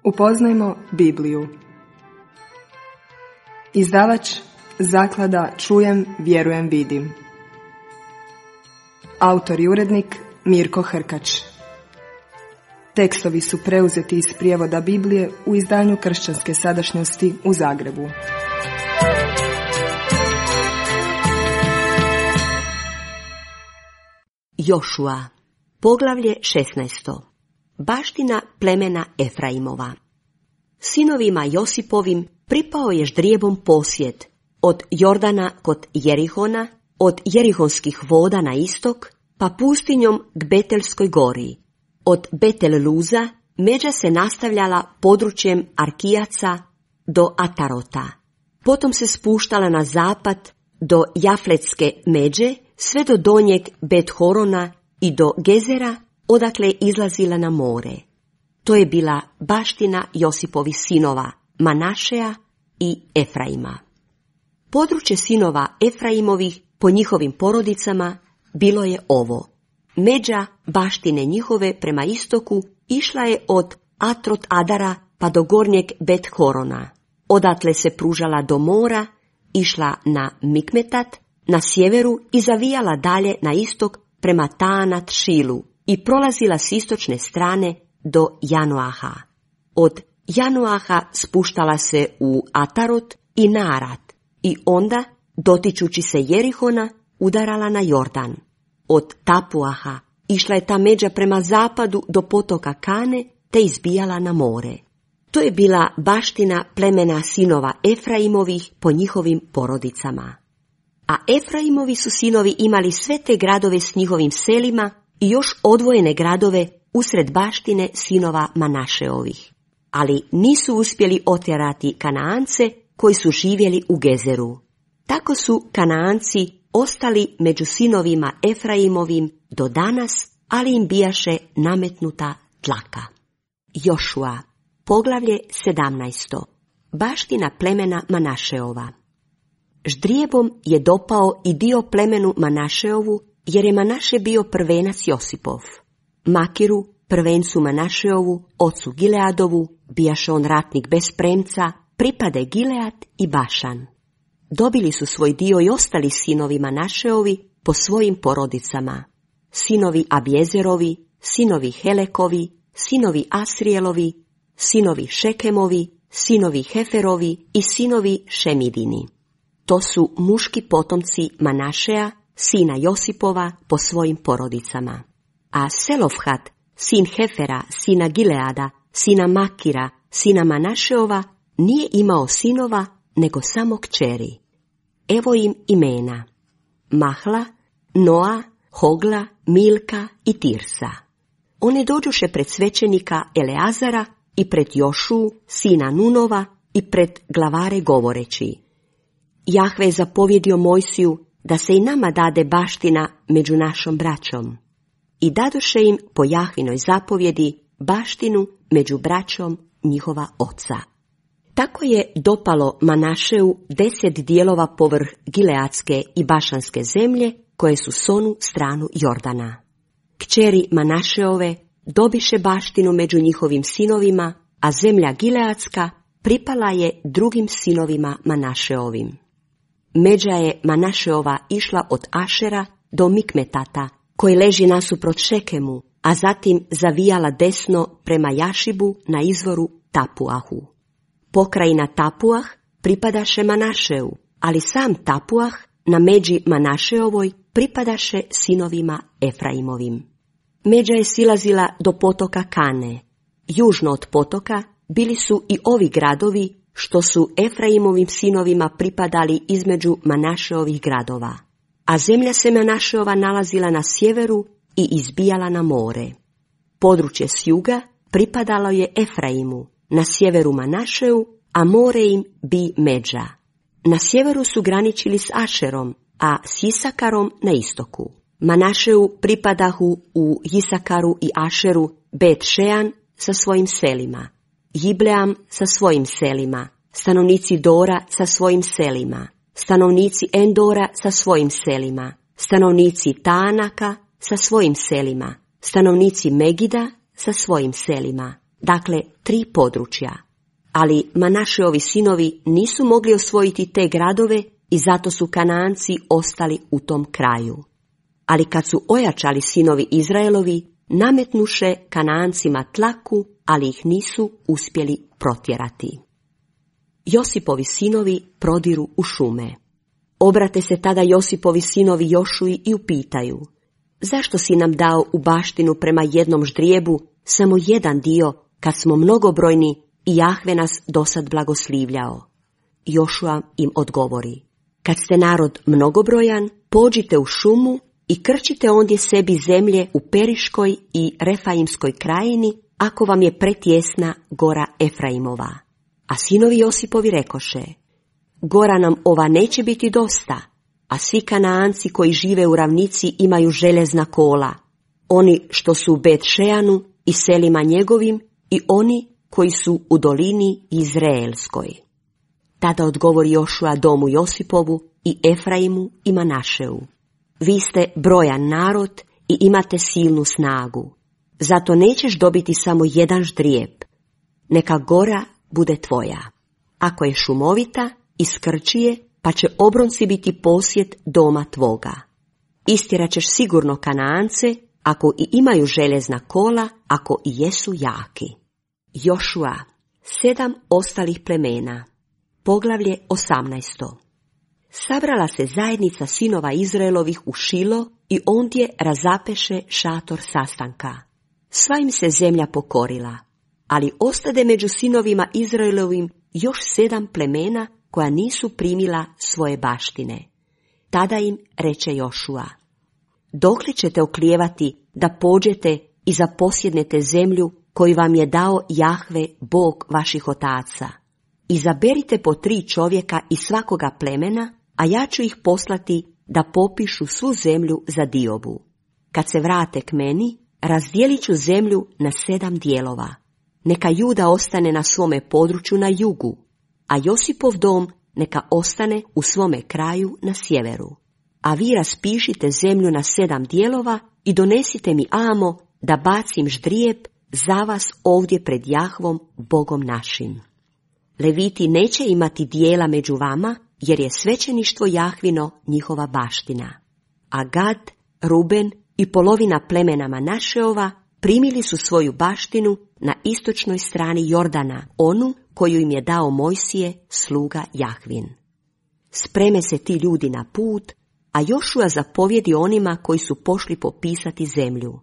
Upoznajmo Bibliju. Izdavač Zaklada Čujem, vjerujem, vidim. Autor i urednik Mirko Hrkač. Tekstovi su preuzeti iz prijevoda Biblije u izdanju Kršćanske sadašnjosti u Zagrebu. Jošua, poglavlje 16. Baština plemena Efraimova. Sinovima Josipovim pripao je ždrijebom posjed od Jordana kod Jerihona, od Jerihonskih voda na istok, pa pustinjom k Betelskoj gori. Od Betel Luza međa se nastavljala područjem Arkijaca do Atarota. Potom se spuštala na zapad do Jafletske međe, sve do donjeg Bet-Horona i do Gezera, odakle je izlazila na more. To je bila baština Josipovih sinova, Manašeja i Efraima. Područje sinova Efraimovih po njihovim porodicama bilo je ovo. Međa baštine njihove prema istoku išla je od Atrot Adara pa do gornjeg Bet-Horona. Odatle se pružala do mora, išla na Mikmetat, na sjeveru i zavijala dalje na istok prema Taanat Šilu i prolazila s istočne strane do Janoaha. Od Janoaha spuštala se u Atarot i Naarat i onda, dotičući se Jerihona, udarala na Jordan. Od Tapuaha išla je ta međa prema zapadu do potoka Kane te izbijala na more. To je bila baština plemena sinova Efraimovih po njihovim porodicama. A Efraimovi su sinovi imali sve te gradove s njihovim selima i još odvojene gradove usred baštine sinova Manašeovih. Ali nisu uspjeli otjerati Kanaance koji su živjeli u Gezeru. Tako su Kanaanci ostali među sinovima Efraimovim do danas, ali im bijaše nametnuta tlaka. Jošua, poglavlje 17. Baština plemena Manašeova. Ždrijebom je dopao i dio plemenu Manašeovu, jer je Manaše bio prvenac Josipov. Makiru, prvencu Manašeovu, ocu Gileadovu, bijaše on ratnik bez premca, pripade Gilead i Bašan. Dobili su svoj dio i ostali sinovi Manašeovi po svojim porodicama. Sinovi Abjezerovi, sinovi Helekovi, sinovi Asrijelovi, sinovi Šekemovi, sinovi Heferovi i sinovi Šemidini. To su muški potomci Manašeja, sina Josipova, po svojim porodicama. A Selofhat, sin Hefera, sina Gileada, sina Makira, sina Manašeova, nije imao sinova, nego samo kćeri. Evo im imena: Mahla, Noa, Hogla, Milka i Tirsa. One dođoše pred svećenika Eleazara i pred Jošu, sina Nunova, i pred glavare govoreći: Jahve je zapovjedio Mojsiju da se i nama dade baština među našom braćom. I dadoše im po Jahvinoj zapovjedi baštinu među braćom njihova oca. Tako je dopalo Manašeu 10 dijelova povrh Gileadske i Bašanske zemlje, koje su s onu stranu Jordana. Kćeri Manašeove dobiše baštinu među njihovim sinovima, a zemlja Gileadska pripala je drugim sinovima Manašeovim. Međa je Manašeova išla od Ašera do Mikmetata, koji leži nasuprot Šekemu, a zatim zavijala desno prema Jašibu na izvoru Tapuahu. Pokrajina Tapuah pripadaše Manašeu, ali sam Tapuah na međi Manašeovoj pripadaše sinovima Efraimovim. Međa je silazila do potoka Kane. Južno od potoka bili su i ovi gradovi što su Efraimovim sinovima pripadali između Manašeovih gradova. A zemlja se Manašeova nalazila na sjeveru i izbijala na more. Područje s juga pripadalo je Efraimu, na sjeveru Manašeu, a more im bi međa. Na sjeveru su graničili s Ašerom, a s Isakarom na istoku. Manašeu pripadahu u Isakaru i Ašeru Bet-Šean sa svojim selima, Jibleam sa svojim selima, stanovnici Dora sa svojim selima, stanovnici Endora sa svojim selima, stanovnici Taanaka sa svojim selima, stanovnici Megida sa svojim selima, dakle 3 područja. Ali Manašeovi sinovi nisu mogli osvojiti te gradove i zato su Kanaanci ostali u tom kraju. Ali kad su ojačali sinovi Izraelovi, nametnuše Kanaancima tlaku, ali ih nisu uspjeli protjerati. Josipovi sinovi prodiru u šume. Obrate se tada Josipovi sinovi Jošuji i upitaju: zašto si nam dao u baštinu prema jednom ždrijebu samo jedan dio, kad smo mnogobrojni i Jahve nas dosad blagoslivljao? Jošua im odgovori: kad ste narod mnogobrojan, pođite u šumu i krčite ondje sebi zemlje u Periškoj i Refaimskoj krajini, ako vam je pretjesna gora Efraimova. A sinovi Josipovi rekoše: gora nam ova neće biti dosta, a svi Kanaanci koji žive u ravnici imaju željezna kola, oni što su u Bet-Šeanu i selima njegovim i oni koji su u dolini Izraelskoj. Tada odgovori Jošua domu Josipovu i Efraimu i Manašeu: vi ste brojan narod i imate silnu snagu, zato nećeš dobiti samo jedan ždrijeb. Neka gora bude tvoja. Ako je šumovita, iskrči je, pa će obronci biti posjed doma tvoga. Istjerat ćeš sigurno Kanaance, ako i imaju željezna kola, ako i jesu jaki. Jošua, 7 ostalih plemena. Poglavlje 18. Sabrala se zajednica sinova Izraelovih u Šilo i ondje razapeše šator sastanka. Sva im se zemlja pokorila, ali ostade među sinovima Izraelovim još 7 plemena koja nisu primila svoje baštine. Tada im reče Jošua: dokle ćete oklijevati da pođete i zaposjednete zemlju koju vam je dao Jahve, Bog vaših otaca? Izaberite po 3 čovjeka iz svakoga plemena, a ja ću ih poslati da popišu svu zemlju za diobu. Kad se vrate k meni, razdijelit ću zemlju na 7 dijelova. Neka Juda ostane na svome području na jugu, a Josipov dom neka ostane u svome kraju na sjeveru. A vi raspišite zemlju na 7 dijelova i donesite mi amo da bacim ždrijeb za vas ovdje pred Jahvom, Bogom našim. Leviti neće imati dijela među vama, jer je svećeništvo Jahvino njihova baština. A Gad, Ruben i polovina plemena Manašeova primili su svoju baštinu na istočnoj strani Jordana, onu koju im je dao Mojsije, sluga Jahvin. Spreme se ti ljudi na put, a Jošua zapovjedi onima koji su pošli popisati zemlju: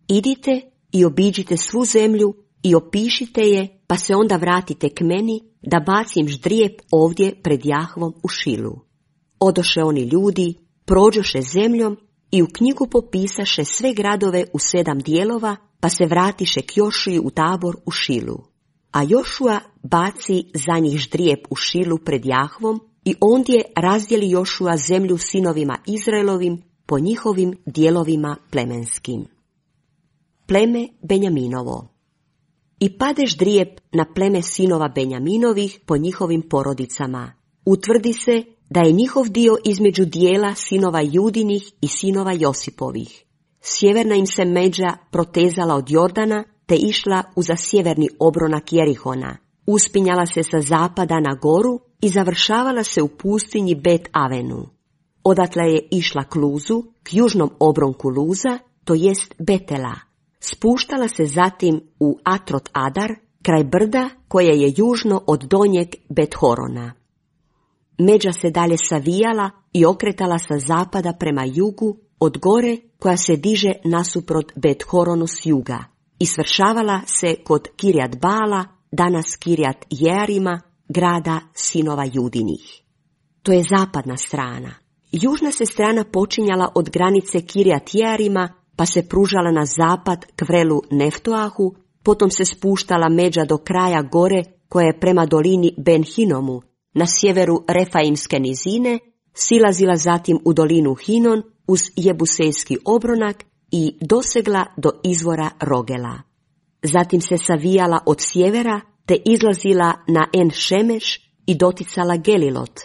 idite i obiđite svu zemlju i opišite je, pa se onda vratite k meni da bacim ždrijeb ovdje pred Jahvom u Šilu. Odoše oni ljudi, prođoše zemljom i u knjigu popisaše sve gradove u 7 dijelova, pa se vratiše k Jošuji u tabor u Šilu. A Jošua baci za njih ždrijeb u Šilu pred Jahvom i ondje razdjeli Jošua zemlju sinovima Izraelovim po njihovim dijelovima plemenskim. Pleme Benjaminovo. I pade ždrijeb na pleme sinova Benjaminovih po njihovim porodicama. Utvrdi se da je njihov dio između dijela sinova Judinih i sinova Josipovih. Sjeverna im se međa protezala od Jordana, te išla uza sjeverni obronak Jerihona. Uspinjala se sa zapada na goru i završavala se u pustinji Bet Avenu. Odatle je išla k Luzu, k južnom obronku Luza, to jest Betela. Spuštala se zatim u Atrot Adar, kraj brda koje je južno od donjeg Bet-Horona. Međa se dalje savijala i okretala sa zapada prema jugu od gore koja se diže nasuprot Bet-Horonu s juga i svršavala se kod Kirjat Bala, danas Kirjat Jearima, grada sinova Judinih. To je zapadna strana. Južna se strana počinjala od granice Kirjat Jearima, pa se pružala na zapad k vrelu Neftoahu, potom se spuštala međa do kraja gore koja je prema dolini Ben Hinomu, na sjeveru Refaimske nizine, silazila zatim u dolinu Hinon uz Jebusejski obronak i dosegla do izvora Rogela. Zatim se savijala od sjevera te izlazila na En Šemeš i doticala Gelilot,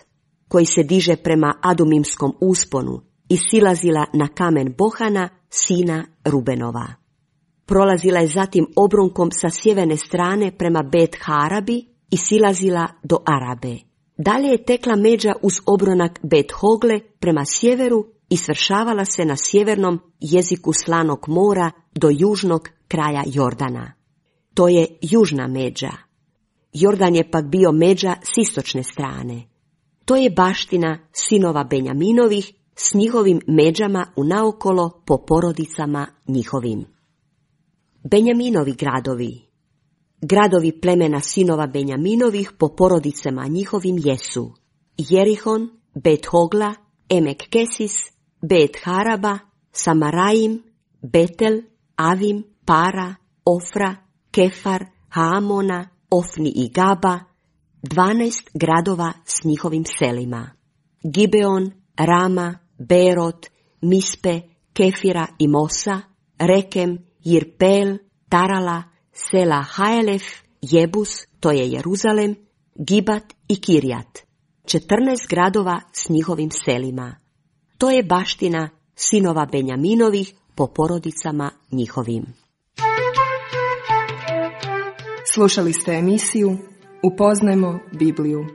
koji se diže prema Adumimskom usponu, i silazila na kamen Bohana, sina Rubenova. Prolazila je zatim obrunkom sa sjeverne strane prema Bet Harabi i silazila do Arabe. Dalje je tekla međa uz obronak Bet Hogle prema sjeveru i svršavala se na sjevernom jeziku Slanog mora do južnog kraja Jordana. To je južna međa. Jordan je pak bio međa s istočne strane. To je baština sinova Benjaminovih s njihovim međama unaokolo po porodicama njihovim. Benjaminovi gradovi. Gradovi plemena sinova Benjaminovih po porodicama njihovim jesu Jerihon, Bet Hogla, Emek Kesis, Bet Haraba, Samaraim, Betel, Avim, Para, Ofra, Kefar, Haamona, Ofni i Gaba, 12 gradova s njihovim selima. Gibeon, Rama, Berot, Mispe, Kefira i Mosa, Rekem, Jirpel, Tarala, sela Haelef, Jebus, to je Jeruzalem, Gibat i Kirjat. 14 gradova s njihovim selima. To je baština sinova Benjaminovih po porodicama njihovim. Slušali ste emisiju Upoznajmo Bibliju.